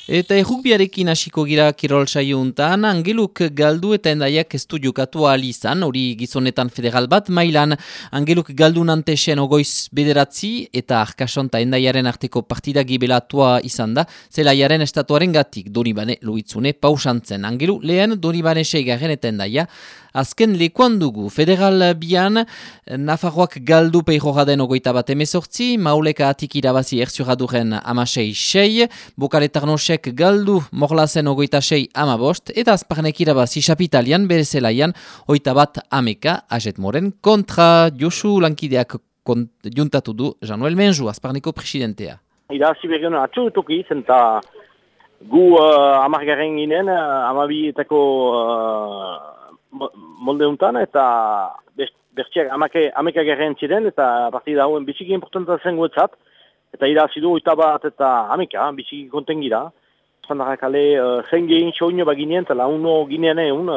Eta errukbiarekin hasiko gira kirol saio untan, Angeluk galdu eta endaiak ez du jokatu ahal izan, hori gizonetan federal bat mailan. Angeluk galdu nantesen ogoiz bederatzi eta Arkasonta endaiaren arteko partida gibelatua izan da, zelaiaren estatuaren gatik, Donibane Luitzune pausantzen. Angelu lehen Donibane seigarren eta endaia azken lekuan dugu. Federal bian, Nafarroak galdu peijoraden ogoita bat emezortzi, Mauleka atik irabazi erzuraduren amasei sei, Bokaletarnosek galdu morlazen ogoita sei amabost, eta azparnek irabazi Chapitalian bere zelaian oita bat ameka Ajet Moren kontra Josu lankideak juntatu du Januel Menju, azparneko presidentea. Irabazi berrion atxurutuki zen eta gu amargarren ginen, amabietako molde untan, eta bertxiak ameka garren ziren, eta partida hauen biziki importanta zen guetzat, eta irabazi du oita bat eta ameka, biziki konten gira. Zandarrak ale, zen gehin soño baginen, eta launo ginean egun,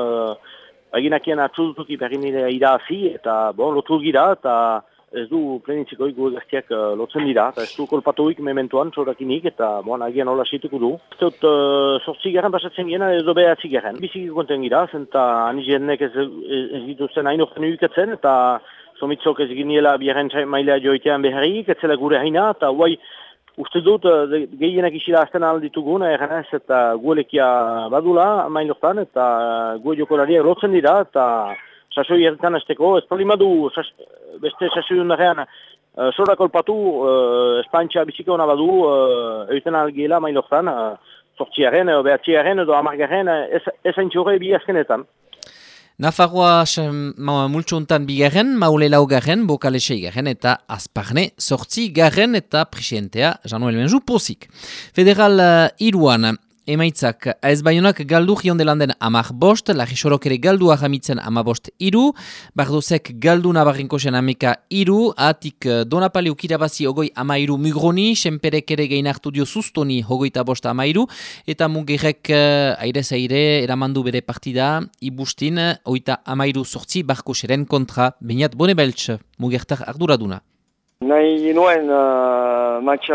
baginakien atxurutuki berri nire irabazi, eta lotu gira, eta ez du plenitziko gu gaztiak lotzen dira, eta ez du kolpatuik mementuan txorakinik, eta agian hola situko du. Ez dut sortzi garen pasatzen gena, edo behatzi garen. Biziki konten gira, zenta anizenek ez dituzten hain orten uikatzen, eta somitzok ez giniela biaren mailea joitean beharrik, ez zela gure haina, eta guai uste dut gehienak isila azten alditugun, erganez eta guelekia badula main lortan, eta gu jokolariak lotzen dira, eta sasoi erretan azteko, ez palimadu beste sasoi undarean sora kolpatu, espantxa bizika hona badu, egiten algiela mailortan, sortziaren, behatziaren edo amargaren, ez haintxore bi azkenetan. Nafarroa multxuntan bigarren, Maule laugarren, Bokale seigarren eta Azparne sortzi garren eta presidentea Januel Menju pozik. Federal iruan, emaitzak AS Baionak galdu jiondelanden amar bost, Lagisorok ere galdu ahamitzen amabost iru, Bardozek galdu Nabarrinkosen ameka iru, atik Donapaliuk irabazi ogoi amairu Mugroni, Senperek ere gehin hartu dio Sustoni hogoita bost amairu, eta Mugerrek aire-zaire eramandu bere partida, Ibustin, oita amairu sortzi Barkoseren kontra Beñat Bonebeltz, Mugertar arduraduna. Nahi nuen match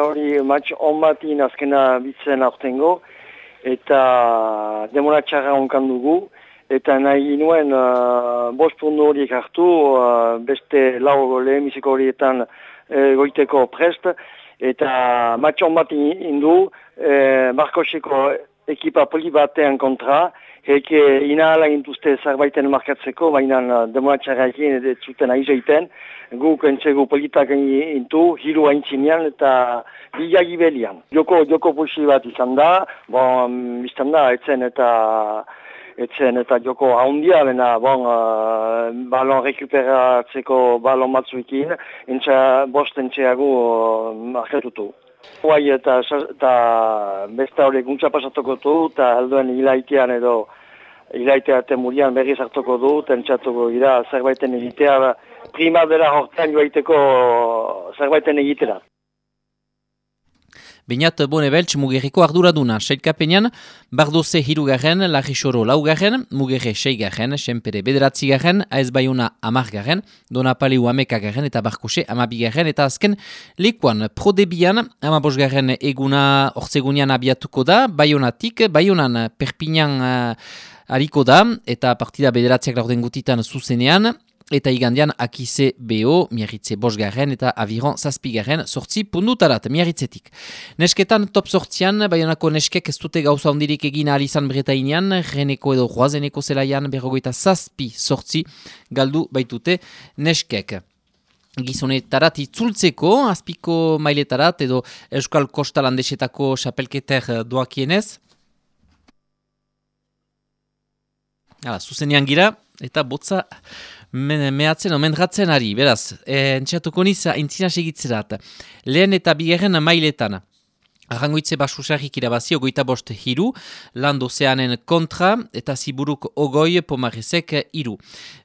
on batin azkena bitzen aurtengo, eta demonatxarra onkan dugu, eta nahi nuen bost puntu horiek hartu, beste lau lehenbiziko horietan goiteko prest, eta match on bat indu, Barkoseko ekipa poli batean kontra, eke inahala gintuzte zerbaiten markatzeko, baina demonatxarra egin ez zuten aizeiten, guk entzegu politak intu, hiru haintzinean eta bilagi belian. Joko pusi bat izan da, biztan da, etzen eta joko haundia, bena, balon rekuperatzeko balon batzuekin, bost entxeagu markatutu. Guai eta besta hori guntza pasatuko du, eta helduen hilaitean edo hilaitea temurian berriz hartuko du, tentsatuko gira zerbaiten egitea, primadera hortan joaiteko zerbaiten egitera. Beñat Bonebeltz Mugerriko arduraduna, sailkapenean, Bardoze hirugarren, Lagisoro laugarren, Mugerre seigarren, Senpere bederatzigarren, AS Baiona amargarren, Donapaliu amekagarren eta Barkose amabigarren, eta azken lekuan Prodebian, amabosgarren eguna ortzegunean abiatuko da, Baionatik, Baionan Perpignan hariko da, eta partida bederatziak laurden gutitan zuzenean, eta igandian Akize BO, Miarritze bosgarren eta Aviron zazpigarren sortzi pundutarat, Miarritzetik. Nesketan top sortzian, Baionako neskek ez dute gauza ondirik egin ahal izan Bretainean, Reneko edo Roazeneko zelaian berrogoita zazpi sortzi galdu baitute neskek. Gizonetarat itzultzeko, azpiko mailetarat edo Euskal Kosta Landesetako xapelketer doakienez. Zuzenean gira, eta botza mehatzen, omendratzen ari, beraz, entxatuko niz, aintzina segitzerat. Lehen eta bigarren mailetan, Arrangoitze basusarrik irabazi, ogoita bost hiru, Landozeanen kontra, eta Ziburuk ogoi, Pomarezek hiru.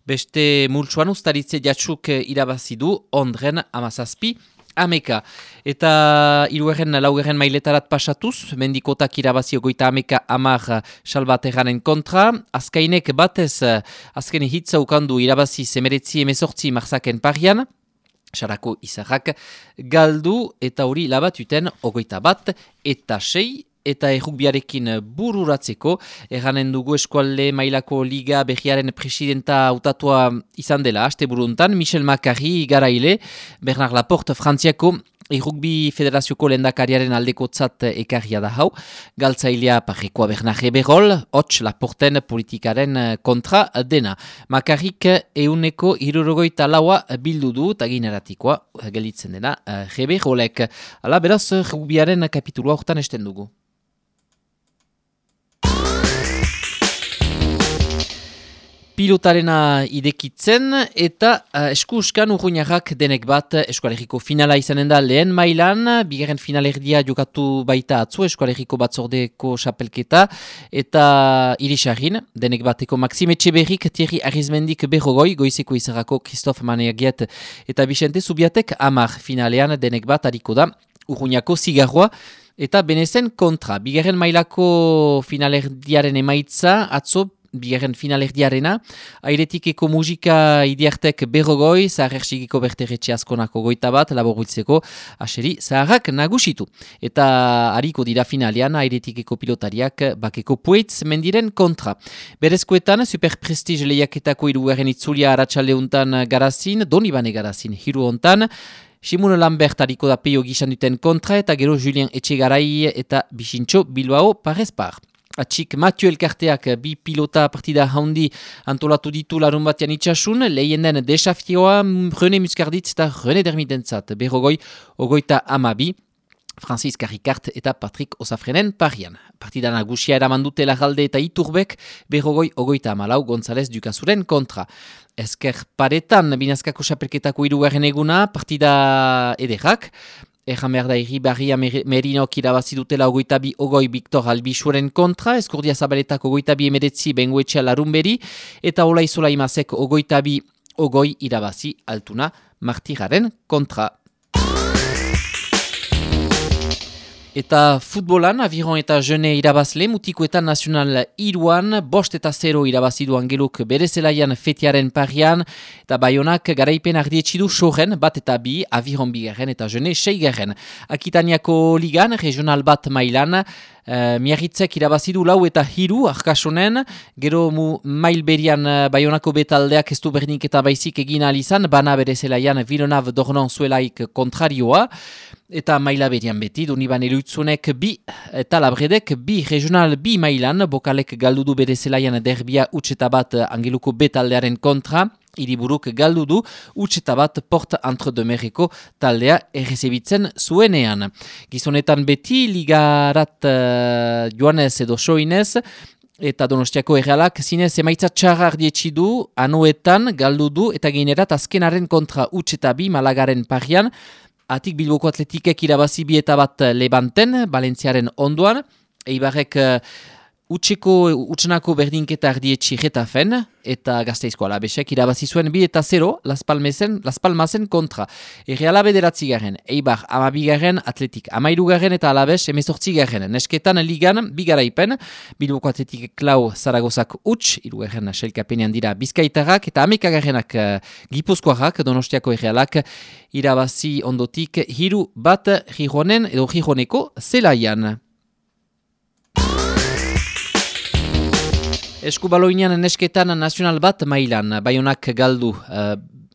Beste multsuan ustaritze jatsuk irabazi du, Ondren amazazpi, ameka. Eta hirugarren laugarren mailetarat pasatuz, mendikotak irabazi ogoita ameka amar salbaterranen kontra, azkainek batez, azken hitza ukandu irabazi semeretzi emezortzi marzaken parian, Sarako izarrak galdu eta hori labatuten ogoita bat eta sei eta errukbiarekin bururatzeko. Erranen dugu eskualde mailako liga berriaren presidenta hautatua izan dela, asteburuntan, Michel Macari garaile, Bernard Laporte Frantziako Errukbi Federazioko lehendakariaren aldekotzat ekarria da hau, galtzailea parrekoa Bernard Eberol, hots Laporten politikaren kontra dena. Makarrik 164 bildu du, eta gineratikoa gelitzen dena Eberolek. Hala, beraz, errukbiaren kapitulua hortan esten dugu. Pilotarena idekitzen eta eskuskan urruñarrak denek bat eskualeriko finala izanen da lehen mailan, bigarren finalerdia jokatu baita atzo eskualeriko batzordeko xapelketa eta irisarrin, denek bateko Maxime Etxeberrik, Thierry Arizmendik berrogoi, goizeko izarrako Christophe Maneagiet eta Vicente Zubiatek 10 finalean denek bat hariko da urruñako zigarroa eta benezen kontra. Bigarren mailako finalerdiaren emaitza atzo bigarren finalerdiarena, airetikeko musika idiartek berrogoi, zaharerxigiko berterretxe askonako goita bat, laboruitzeko aseri zaharrak nagusitu. Eta hariko dira finalean, airetikeko pilotariak bakeko Pueitz mendiren kontra. Berezkoetan, Super Prestige lehiaketako hirugarren itzulia aratsaldeuntan garazin, Donibane garazin, hiru hontan, Simon Lambert hariko da peio gizan duten kontra, eta gero Julien Etxegarai eta Bixintxo Bilbao parezpar. Atxik Mathieu Elkarteak bi pilota partida haundi antolatu ditu larun batean itxasun, lehien den desafioa René Muscarditz eta René Dermitentzat, berrogoi, ogoita 12, Francis Carricart eta Patrick Osafrenen parian. Partida nagusia eraman dute Larralde eta Iturbek, berrogoi, ogoita 14, González Ducazuren kontra. Ezker paretan, binazkako xapelketako hirugarren eguna, partida ederrak, Erran behar da Irribarria Merinok irabazi dutela ogoita bi ogoi Victor Albixuren kontra, Eskurdia Zabaletak ogoita bi emeretzi Bengoetxea Larumberi, eta Ola Isola Imasek ogoita bi ogoi irabazi Altuna Martiraren kontra. Eta futbolan, aviron eta jene irabazle, mutikoetan nazional iruan, 5-0 irabazidu Angeluk bere zelaian fetiaren parian, eta Baionak garaipen ardietxidu soren, 1-2, aviron bigarren eta jene 6. Akitaniako ligan, regional bat mailan, Miarritzek irabazidu 4-3 arkasonen, gero mail berian Baionako betaldeak ez du bernik eta baizik egin alizan, bana bere zelaian Villeneuve Dornon zuelaik kontrarioa, eta maila berian beti, Doniban eruitzunek 2 eta Labredek 2 regional 2 mailan, Bokalek galdudu bere zelaian derbia utxeta bat Angeluko betaldearen kontra, Hiriburuk galdu du, utxeta bat Porte Entre de Merreko taldea errezebitzen zuenean. Gizonetan beti, ligarat joanez edo soinez, eta Donostiako Errealak zinez emaitza txarra ardietxi du, anuetan galdu du, eta geinerat azkenaren kontra utxeta 2 Malagaren parian, atik Bilboko Atletikek irabazi 2-1 Levanten, Valentziaren ondoan, Eibarrek utxenako berdinketa ardietxi Getafen, eta Gasteizko Alabesek irabazi zuen 2-0 Las Palmasen kontra. Erreala 9. Eibar 12. Atletik 13. eta Alabes 18. Nesketan ligan bigaraipen, Bilboko Atletik Klau Zaragozak utx, 3. Selkapenean dira Bizkaitarrak, eta 11. Gipuzkoarrak, Donostiako Errealak irabazi ondotik 3-1 Gijonen edo Gijoneko zelaian. Eskubaloinean nesketan nazional bat mailan, Baionak galdu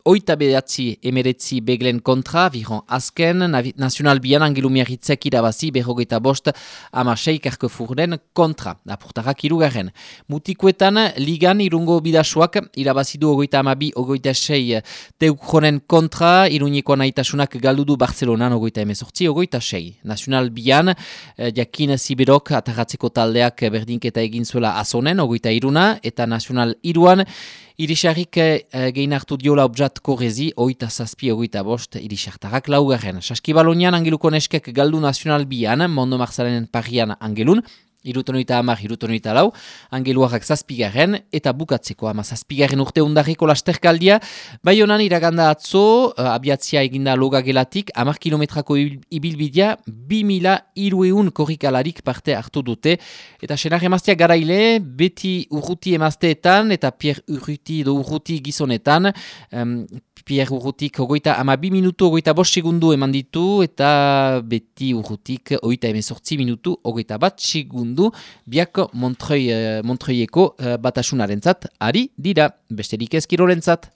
8-9 beglen kontra, viron azken, nazional bian Angelu Miarritzek irabazi 25 16 Carquefouren kontra, apurtarrak 2. Mutikoetan, ligan irungo bidasuak irabazidu 22-26 Teukjonen kontra, Iruñeko naitasunak galdudu Barcelonan 28-26. Nazional bian, jakin Ziberok atarratzeko taldeak berdinketa egin zuela azonen, 23, eta nazional iruan, Irisarrik gehin hartu diola objat korrezi, 8-7-5 Irisartarrak 4. Saskibalonian Angeluko neskek galdu nazional bian, Mondo Marzalenen parian Angelun, 70-74, Angeluarrak 7. eta bukatzeko 17. urte undarriko lasterkaldia, Baionan iraganda atzo, abiatzia eginda loga gelatik, 10 kilometrako ibilbidea, 2.300 korrikalarik parte hartu dute, eta senar emaztea garaile, beti urruti emazteetan, eta Pierre Urruti edo Urruti gizonetan, Pierre Urrutik 32 minutu 25 segundu eman ditu eta Beti Urrutik 38 minutu 21 segundu biak Montreuileko batasunarentzat ari dira, besterik ez kirolentzat.